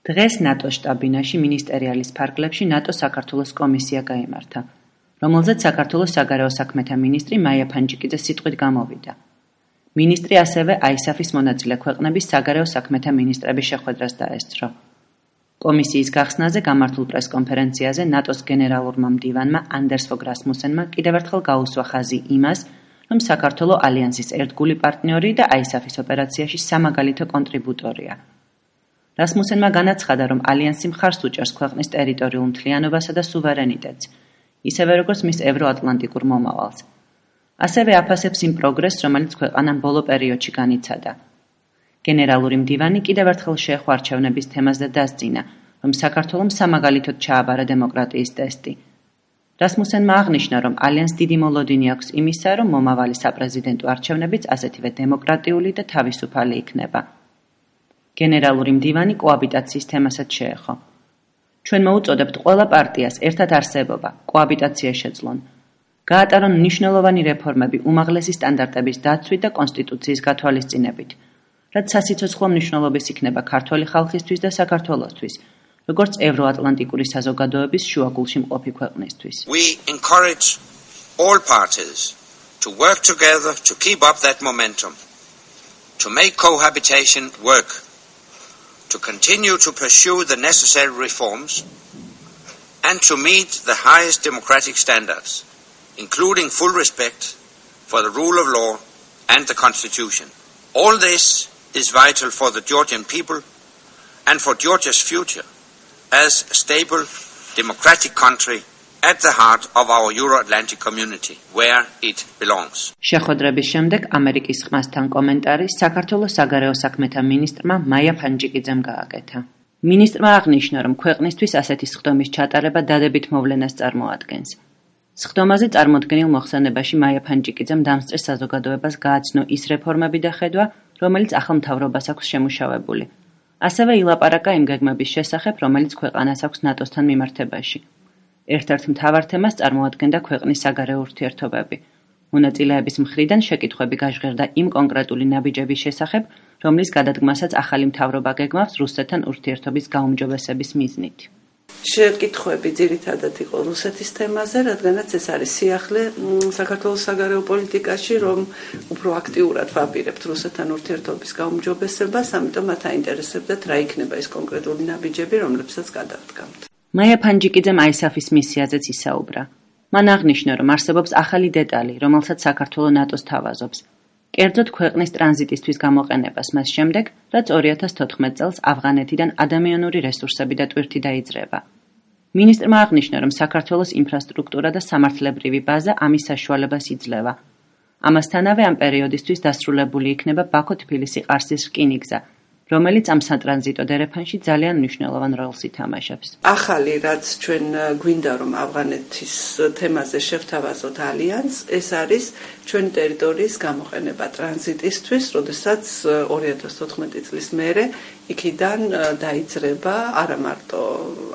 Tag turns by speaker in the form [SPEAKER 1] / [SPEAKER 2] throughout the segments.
[SPEAKER 1] დღეს ნატოს შტაბ-ბინაში მინისტერიალის ფარგლებში ნატოს საქართველოს კომისია გაიმართა, რომელზეც საქართველოს საგარეო საქმეთა მინისტრი მაია ფანჯიკიძე სიტყვით გამოვიდა. მინისტრი ასევე ISAF-ის მონაწილე ქვეყნების საგარეო საქმეთა მინისტრების შეხვედრას დაესწრო. კომისიის გახსნაზე გამართულ პრესკონფერენციაზე ნატოს გენერალურმა მდივანმა ანდერს ფოგ რასმუსენმა კიდევ ერთხელ გაუსვა ხაზი იმას, რომ საქართველო ალიანსის ერთგული პარტნიორი და ISAF-ის ოპერაციაში სამაგალითო კონტრიბუტორია. რასმუსენმა განაცხადა, რომ ალიანსი მხარს უჭერს ქვეყნის ტერიტორიულ მთლიანობასა და სუვერენიტეტს, ისევე როგორც მის ევროატლანტიკურ მომავალს. ასევე აფასებს იმ პროგრესს, რომელიც ქვეყანამ ბოლო პერიოდში განიცადა. გენერალური მდივანი კიდევ ერთხელ შეეხო არჩევნების თემას და დასძინა, რომ საქართველომ სამაგალითოდ ჩააბარა დემოკრატიის ტესტი. რასმუსენმა აღნიშნა, რომ ალიანს დიდი მოლოდინი აქვს იმისა, რომ მომავალი საპრეზიდენტო არჩევნებიც ასეთივე დემოკრატიული და თავისუფალი იქნება. გენერალური მდივანი კოაბიტაციის თემასაც შეეხო. ჩვენ მოუწოდებთ ყველა პარტიას ერთად არსებობა, კოაბიტაცია შეძლონ. გაატარონ მნიშვნელოვანი რეფორმები უმაღლესი სტანდარტების დაცვით და კონსტიტუციის გათვალისწინებით, რაც სასიცოცხლო მნიშვნელობის იქნება ქართველი ხალხისთვის და საქართველოსთვის, როგორც ევროატლანტიკური საზოგადოების შუაგულში მყოფი ქვეყნისთვის.
[SPEAKER 2] We encourage all parties to work together to keep up that momentum, to make cohabitation work, to continue to pursue the necessary reforms, and to meet the highest democratic standards, including full respect for the rule of law and the Constitution. All this is vital for the Georgian people and for Georgia's future as a stable, democratic country at the heart of our Euro-Atlantic community, where it belongs.
[SPEAKER 1] შეხვედრების შემდეგ ამერიკის ხმასთან კომენტარი საქართველოს საგარეო საქმეთა მინისტრმა მაია ფანჯიკიძემ გააკეთა. მინისტრმა აღნიშნა, რომ ქვეყნისთვის ასეთი სხდომის ჩატარება დადებით მოვლენას წარმოადგენს. სხდომაზე წარმოდგენილ მოხსენებაში მაია ფანჯიკიძემ დამსწრეს საზოგადოებას გააცნო ის რეფორმები და ხედვა, რომელიც ახალ მთავრობას აქვს შემუშავებული. ასევე ილაპარაკა იმ გეგმების შესახებ, რომელიც ქვეყანას აქვს ნატოსთან მიმართებაში. ერთ-ერთ მთავარ თემას წარმოადგენდა ქვეყნის საგარეო ურთიერთობები. მონაწილეების მხრიდან შეკითხვები გაჟღერდა იმ კონკრეტული ნაბიჯების შესახებ, რომლის გადადგმასაც ახალი მთავრობა გეგმავს რუსეთთან ურთიერთობის გაუმჯობესების მიზნით.
[SPEAKER 3] შეკითხვები ძირითადად იყო რუსეთის თემაზე, რადგანაც ეს არის სიახლე საქართველოს საგარეო პოლიტიკაში, რომ უფრო აქტიურად ვაპირებთ რუსეთთან ურთიერთობის გაუმჯობესებას, ამიტომ მათ აინტერესებდათ რა იქნება ეს კონკრეტული ნაბიჯები, რომლებსაც გადავდგამთ.
[SPEAKER 1] მაია ფანჯიკიძემ ISAF-ის მისიაზეც ისაუბრა. მან აღნიშნა, რომ არსებობს ახალი დეტალი, რომელსაც საქართველო ნატოს თავაზობს. კერძოდ ქვეყნის ტრანზიტისთვის გამოყენებას მას შემდეგ, რაც 2014 წელს ავღანეთიდან ადამიანური რესურსები და ტვირთი დაიძრება. მინისტრმა აღნიშნა, რომ საქართველოს ინფრასტრუქტურა და სამართლებრივი ბაზა ამის საშუალებას იძლევა. ამასთანავე ამ პერიოდისთვის დასრულებული იქნება ბაქო-თბილისი-ყარსის რკინიგზა, რომელიც ამ სატრანზიტო დერეფანში ძალიან მნიშვნელოვან როლს ითამაშებს.
[SPEAKER 3] ახალი, რაც ჩვენ გვინდა რომ ავღანეთის თემაზე შევთავაზოთ ალიანსს, ეს არის ჩვენი ტერიტორიის გამოყენება ტრანზიტისთვის, როდესაც 2014 წლის მერე იქიდან დაიძრება არა მარტო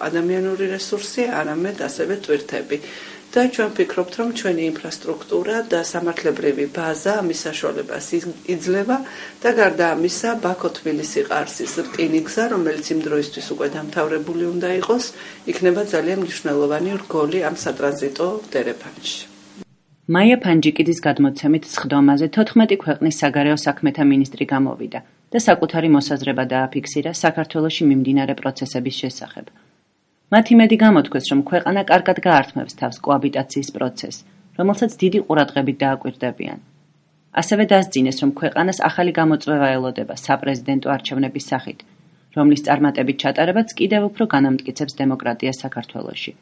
[SPEAKER 3] ადამიანური რესურსი, არამედ ასევე ტვირთები. და ჩვენ ვფიქრობთ, რომ ჩვენი ინფრასტრუქტურა და სამართლებრივი ბაზა ამის საშუალებას იძლევა და გარდა ამისა ბაქო-თბილისი-ყარსის რკინიგზა, რომელიც იმ დროისთვის უკვე დამთავრებული უნდა იყოს, იქნება ძალიან მნიშვნელოვანი რგოლი ამ სატრანზიტო დერეფანში.
[SPEAKER 1] მაია ფანჯიკიძის გადმოცემით სხდომაზე 14 ქვეყნის საგარეო საქმეთა მინისტრი გამოვიდა და საკუთარი მოსაზრება დააფიქსირა საქართველოში მიმდინარე პროცესების შესახებ. მათ იმედი გამოთქვეს, რომ ქვეყანა კარგად გაართმევს თავს კოაბიტაციის პროცესს, რომელსაც დიდი ყურადღებით დააკვირდებიან. ასევე დასძინეს, რომ ქვეყანას ახალი გამოწვევა ელოდება საპრეზიდენტო არჩევნების სახით, რომლის წარმატებით ჩატარებაც კიდევ უფრო განამტკიცებს დემოკრატიას საქართველოში.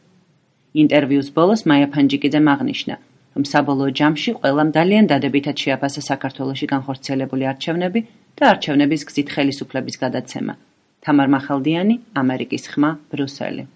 [SPEAKER 1] ინტერვიუს ბოლოს მაია ფანჯიკიძემ აღნიშნა, რომ საბოლოო ჯამში ყველამ ძალიან დადებითად შეაფასა საქართველოში განხორციელებული არჩევნები და არჩევნების გზით ხელისუფლების გადაცემა. თამარ მახალდიანი, ამერიკის ხმა, ბრიუსელი.